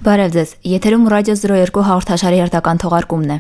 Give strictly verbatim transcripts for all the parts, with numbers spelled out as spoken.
Բարև ձեզ, եթերում ռադիո զրո երկու հաղորդաշարի հերթական թողարկումն է։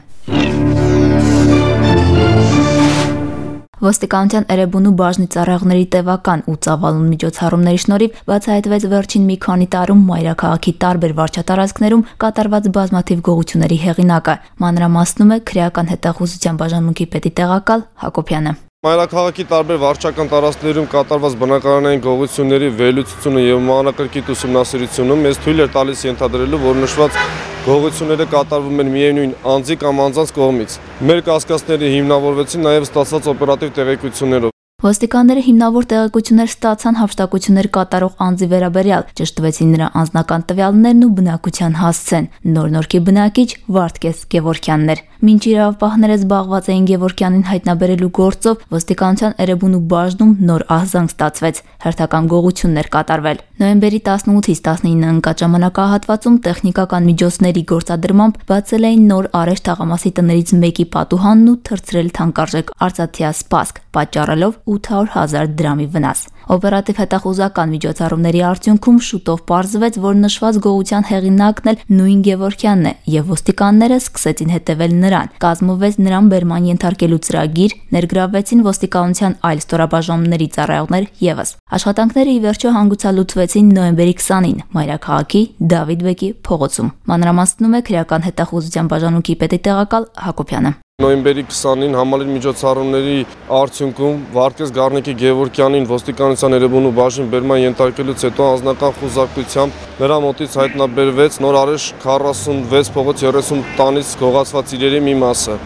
Ոստիկանության Էրեբունու բաժնի ծառայողների տևական ու ծավալուն միջոցառումների շնորհիվ բացահայտվեց վերջին մի քանի տարում մայրաքաղաքի տարբեր վարչատարածքներում կատարված բազմաթիվ գողությունների հեղինակը։ Մանրամասնում է քրեական հետախուզության բաժանմունքի պետի տեղակալ Հակոբյանը։ Մայրաքաղաքի տարբեր վարչական տարածքներում կատարված բնակարանային գողությունների վերլուծությունը եւ մանրակրկիտ ուսումնասիրությունը մեզ թույլ էր տալիս ենթադրելու, որ նշված գողությունները կատարվում են միևնույն անձի կամ անձանց կողմից։ Մեր կասկածները հիմնավորվեցին նաեւ ստացված օպերատիվ տեղեկություններով։ Ոստիկանները հիմնավոր տեղեկություններ ստացան հափշտակություններ կատարող անձի վերաբերյալ, ճշտվեցին նրա անձնական տվյալներն ու բնակության հասցեն։ Նոր-Նորքի բնակիչ Վարդգես Գևորգյանն էր։ Մինչ իրավապահները զբաղված էին Գևորգյանին հայտնաբերելու գործով, ոստիկանության Էրեբունու բաժնում նոր ահզանգ ստացվեց, հերթական գողություններ կատարվել։ Նոյեմբերի տասնութից տասնինը ընկած ժամանակահատվածում տեխնիկական միջոցների գործադրմամբ բացել էին նոր Արեշ թաղամասի տներից մեկի պատուհանն ու թռցրել թանկարժեք արծաթյա սպասք, պատճառելով ութ հարյուր հազար դրամի վնաս։ Օպերատիվ հետախուզական միջոցառումների արդյունքում շուտով պարզվեց, որ նշված գողության հեղինակն էլ նույն Գևորգյանն է, եւ ոստիկանները սկսեցին հետևել նրան։ Կազմվեց նրան բերման ենթարկելու ծրագիր, ներգրավվեցին ոստիկանության այլ ստորաբաժանումների ծառայողներ եւս։ Աշխատանքները ի վերջո հանգուցալուծվեցին նոյեմբերի քսանին մայրաքաղաքի Դավիթ բեկի փողոցում։ Մանրամասնում է քրեական հետախուզության բաժանմունքի պետի տեղակալ Հակոբյանը։ Նոյեմբերի քսանին համալիր միջոցառումների արդյունքում Վարդգես Գառնիկի Գևորգյանին ոստիկանության Էրեբունու բաժին բերման ենթարկելուց հետո անձնական խուզարկությամբ նրա մոտից հայտնաբերվեց նոր Արեշ քառասունվեց փողոց երեսուն տանից գողացված իրերի մի մասը։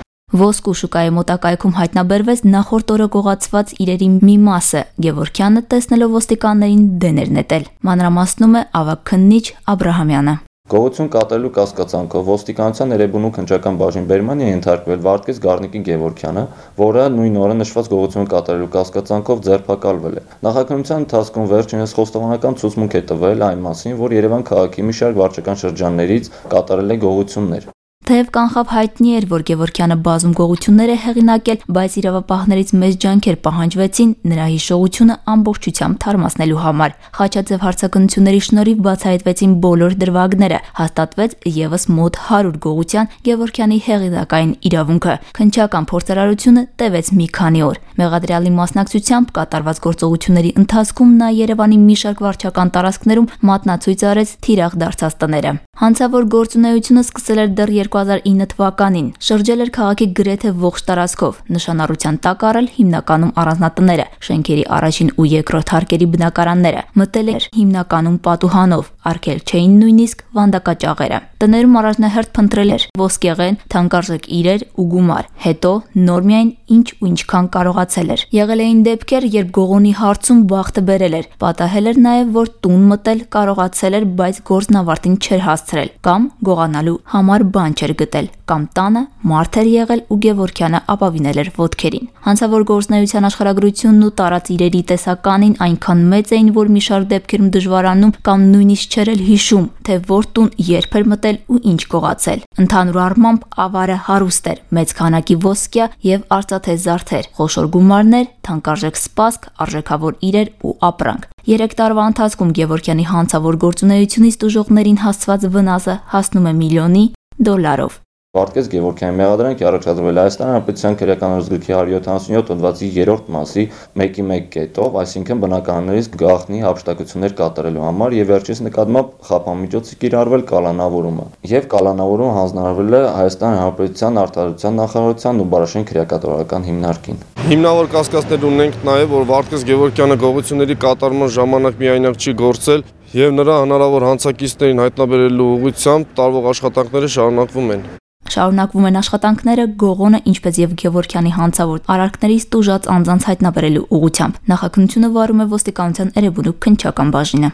Ոսկու շուկայի մոտակայքում հայտնաբերվեց նախորդ օրը գողացված իրերի մի մասը։ Գևորգյանը տեսնելով ոստիկաններին դեն էր նետել։ Մանրամասնում է ավագ քննիչ Աբրահամյանը։ Գողություն կատարելու կասկածանքով ոստիկանության Էրեբունու քննչական բաժին բերման է ենթարկվել Վարդգես Գառնիկի Գևորգյանը, որը նույն օրը նշված գողություն կատարելու կասկածանքով ձերբակալվել է։ Նախաքննության ընթացքում վերջինս խոստովանական ցուցմունք է տվել այն մասին, որ Երևան քաղաքի մի շարք վարչական շրջաններից կատարել է գողություններ։ Թեև կանխավ հայտնի էր, որ Գևորգյանը բազում գողություններ է հեղինակել, բայց իրավապահներից մեծ ջանքեր պահանջվեցին նրա հիշողությունը ամբողջությամբ թարմացնելու համար։ Խաչաձև հարցակնությունների շնորհիվ բացահայտվեցին բոլոր դրվագները, հաստատվեց եւս մոտ հարյուր գողության Գևորգյանի հեղինակային իրավունքը։ Քննչական փորձարարությունը տևեց մի քանի օր։ Մեղադրյալի մասնակցությամբ կատարված գործողությունների ընթացքում նա Երևանի մի շարք վարչական տարածքներում մատնացույց արեց թիրախ դարձած տները։ Հանցավոր գործունեությունը սկսել էր դեռ երկու հազար ինը թվականին, շրջել էր քաղաքի գրեթե ողջ տարածքով, նշանառության տակ առել հիմնականում առանձնատները, շենքերի առաջին ու երկրորդ հարկերի բնակարանները, մտել էր հիմնականում պատուհանով, արգել չէին նույնիսկ վանդակաճաղերը։ Տներում առաջնահերթ փնտրել էր ոսկեղեն, թանկարժեք իրեր ու գումար, հետո նոր միայն ինչ ու ինչքան կարողացել էր։ Եղել էին դեպքեր, երբ գողոնի հարցում բախտը բերել էր, պատահել էր նաև, որ տուն մտել կարողացել էր, բայց գործն ավարտին չէր հասցրել, կամ գողանալու համար բան չէր գտել, կամ տանը մարդ էր եղել ու Գևորգյանը ապավինել էր ոտքերին։ Հանցավոր գործնեության աշխարհագրությունն ու տարած իրերի տեսականին այնքան մեծ էին, որ մի շարք դեպքերում դժվարանում կամ նույնիսկ չէր էլ հիշում, թե որ տուն երբ էր մտել ու ինչ գողացել։ Ընդհանուր առմամբ ավարը հարուստ էր, մեծ քանակի ոսկյա եւ արծաթե զարդեր, խոշոր գումարներ, թանկարժեք սպասք, արժեքավոր իրեր ու ապրանք։ Երեք տարվա ընթացքում Գևորգյանի հանցավոր գործունեությունից տուժողներին հասցված վնասը հասնում է միլիոնի դոլարով։ Վարդգես Գևորգյանի մեղադրանքի առաջադրվել Հայաստանի Հանրապետության քրեական օրենսգրքի հարյուր յոթանասունյոթ հոդվածի երրորդ մասի մեկի մեկ կետով, այսինքն բնակարաններից գաղտնի հափշտակություններ կատարելու համար եւ վերջից նկատմամբ խափամիջոցի կիրառվել կալանավորումը եւ կալանավորումը հանձնարարվել է Հայաստանի Հանրապետության արտադրության նախարարության ու Բարաշեն քրեակատվական հիմնարկին։ Հիմնավոր կասկածներ ունենք նաեւ, որ Վարդգես Գևորգյանը գողությունների կատարման ժամանակ միայնակ չի գործել եւ նրա հնարավոր հանցակիցներին հայտնաբերելու ուղղությամբ տարվող աշխատանքները շարունակվում են։ Շարունակվում են աշխատանքները գողոնը, ինչպես եւ Գևորգյանի հանցավոր արարքներից տուժած անձանց հայտնաբերելու ուղղությամբ։ Նախաքննությունը վարում է ոստիկանության Էրեբունու քննչական բաժինը։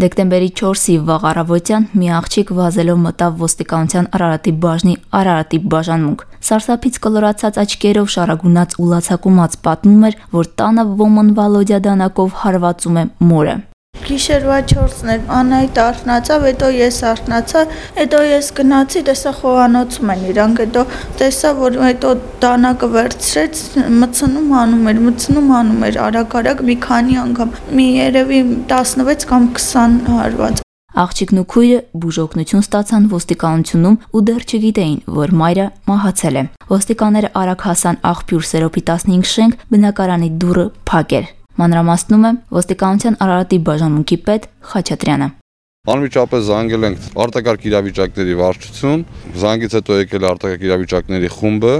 Դեկտեմբերի չորսի վաղ առավոտյան մի աղջիկ վազելով մտավ ոստիկանության Արարատի բաժնի Արարատի բաժանմունք։ Սարսափից կլորացած աչքերով շարագունած ու լացակումած պատմում էր, որ տանը ոմն Վալոդյա դանակով հարվածում է մորը։ Գիշերվա չորսն էր, Անահիտ արթնացավ, հետո ես արթնացա, հետո ես գնացի, տեսա խոհանոցում են իրանք, հետո տեսա, որ հետո դանակը վերցրեց, մտցնում անում էր, մտցնում անում էր, արագ-արագ մի քանի անգամ, մի երևի տասնվեց կամ քսան հարված։ Աղջիկն ու քույրը բուժօգնություն ստացան ոստիկանությունում ու դեռ չգիտեին, որ մայրը մահացել է։ Ոստիկանները արագ հասան աղբյուր Սերոփի տասնհինգ շենք, բնակարանի դուռը փակ էր։ Մանրամասնում է ոստիկանության Արարատի բաժանմունքի պետ Խաչատրյանը։ Անմիջապես զանգել ենք արտակարգ իրավիճակների վարչություն, զանգից հետո եկել է արտակարգ իրավիճակների խումբը,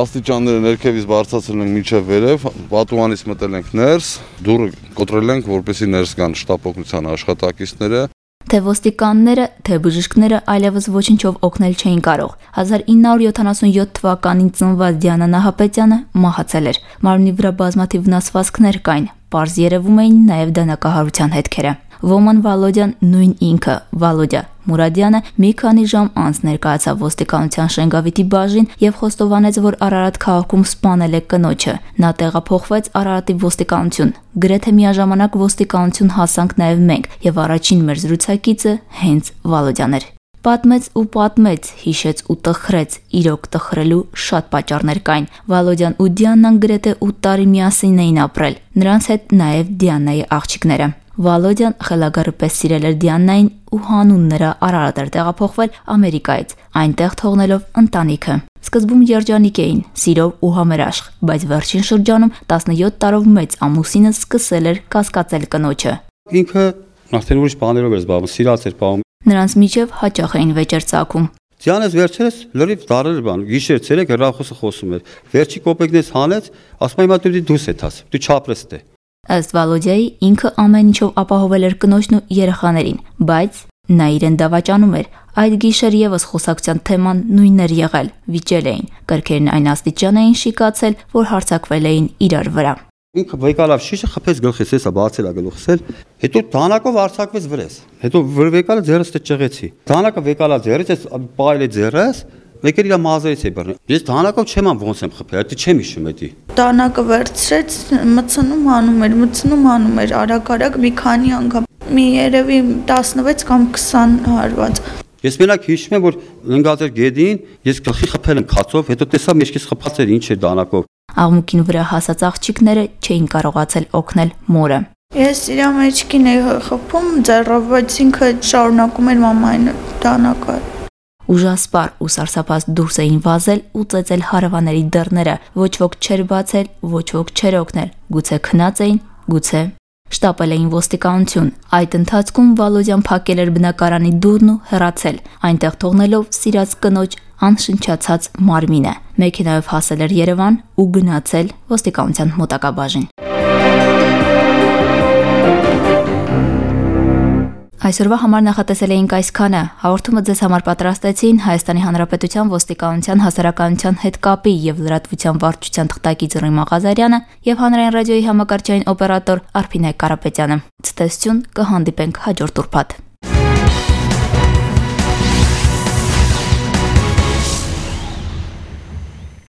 աստիճանները ներքևից բարձրացրել ենք մինչև վերև, պատուհանից մտել ենք ներս, դուռը կոտրել ենք, որպեսզի ներս գան շտապ օգնության աշխատակիցները։ Թե ոստիկանները, թե բժիշկները այլևս ոչինչով օգնել չէին կարող։ հազար ինը հարյուր յոթանասունյոթ թվականին ծնված Դիանա Նահապետյանը մահացել էր։ Մարմնի վրա բազմաթիվ վնասվածքներ կային, պարզ երևում էին նաև դանակահարության հետքերը։ Ոման Վալոդյան նույն ինքը, Վալոդյա Մուրադյանը մի քանի ժամ անց ներկայացավ ոստիկանության Շենգավիթի բաժին եւ խոստովանեց, որ Արարատ քաղաքում սպանել է կնոջը։ Նա տեղափոխվեց Արարատի ոստիկանություն։ Գրեթե միաժամանակ ոստիկանություն հասանք նաեւ մենք եւ առաջին մեր զրուցակիցը հենց Վալոդյան էր։ Պատմեց ու պատմեց, հիշեց ու տխրեց, իրոք տխրելու շատ պատճառներ կային։ Վալոդյան ու Դիանան գրեթե ութ տարի միասին էին ապրել։ Նրանց հետ նաեւ Դիանայի աղջիկները։ Վալոդյան խելագարը պես սիրել էր Դիանային ու հանուն նրա Արարատ էր տեղափոխվել Ամերիկայից, այնտեղ թողնելով ընտանիքը։ Սկզբում երջանիկ էին, սիրով ու համերաշխ, բայց վերջին շրջանում տասնյոթ տարով մեծ ամուսինը սկսել էր կասկածել կնոջը։ Ինքը արդեն ուրիշ բաներով էր զբաղվում, սիրած էր պահում։ Նրանց միջև հաճախ էին վեճեր ծագում։ Դիանաս վերջերս լրիվ դարեր բան, գիշեր ցերեկ հեռախոսը խոսում էր։ Վերջի կոպեկնես հանեց, ասում եմ դու դուս եթաս, դու չապրես դե։ Ըստ Վալոդյայի ինքը ամեն ինչով ապահովել էր կնոջն ու երեխաներին, բայց նա իրեն դավաճանում էր։ Այդ գիշեր եւս խոսակցության թեման նույնն էր եղել, վիճել էին, կրքերն այն աստիճան էին շիկացել, որ հարձակվել էին իրար վրա։ Ինքը վեկալավ շիշը խփեց գլխից, էսա բացել ա գլուխսել, հետո դանակով արցակվեց վրես։ Հետո վեկալը ձեռս դե ճղեցի։ Դանակը վեկալա ձեռից, էս պայել է ձեռս, Մեկեր իր մազերից է բռնել։ Ես դանակով չեմ ան ոնց եմ խփել, դա չեմ հիշում էդի։ Դանակը վերցրեց, մտցնում անում էր, մտցնում անում էր, արագ-արագ մի քանի անգամ, մի երևի տասնվեց կամ քսան հարված։ Ես մենակ հիշում եմ, որ ընկած էր գեդին, ես գլխի խփել եմ քացով, հետո տեսա մեջքից խփած էր ինչ էր դանակով։ Աղմուկին վրա հասած աղջիկները չէին կարողացել օգնել մորը։ Ես իր մեջքին էի խփում ձեռով, բայց ինքը շարունակում էր մամային դանակը։ Ուժասպար ու սարսափած դուրս էին վազել ու ծեծել հարևանների դռները, ոչ ոք չէր բացել, ոչ ոք չէր օգնել, գուցե քնած էին, գուցե շտապել էին ոստիկանություն։ Այդ ընթացքում Վալոդյան փակել էր բնակարանի դուռն ու հեռացել, այնտեղ թողնելով սիրած կնոջ անշնչացած մարմինը։ Մեքենայով հասել էր Երևան ու գնացել ոստիկանության մոտակա բաժին։ Այսօրվա համար նախատեսել էինք այսքանը։ Հաղորդումը ձեզ համար պատրաստեցին Հայաստանի Հանրապետության ոստիկանության հասարակայնության հետ կապի եւ լրատվության վարչության թղթակից Ռիմ Ղազարյանը եւ Հանրային ռադիոյի համակարգչային օպերատոր Արփինե Կարապետյանը։ Ցտեսություն, կհանդիպենք հաջորդ ուրբաթ։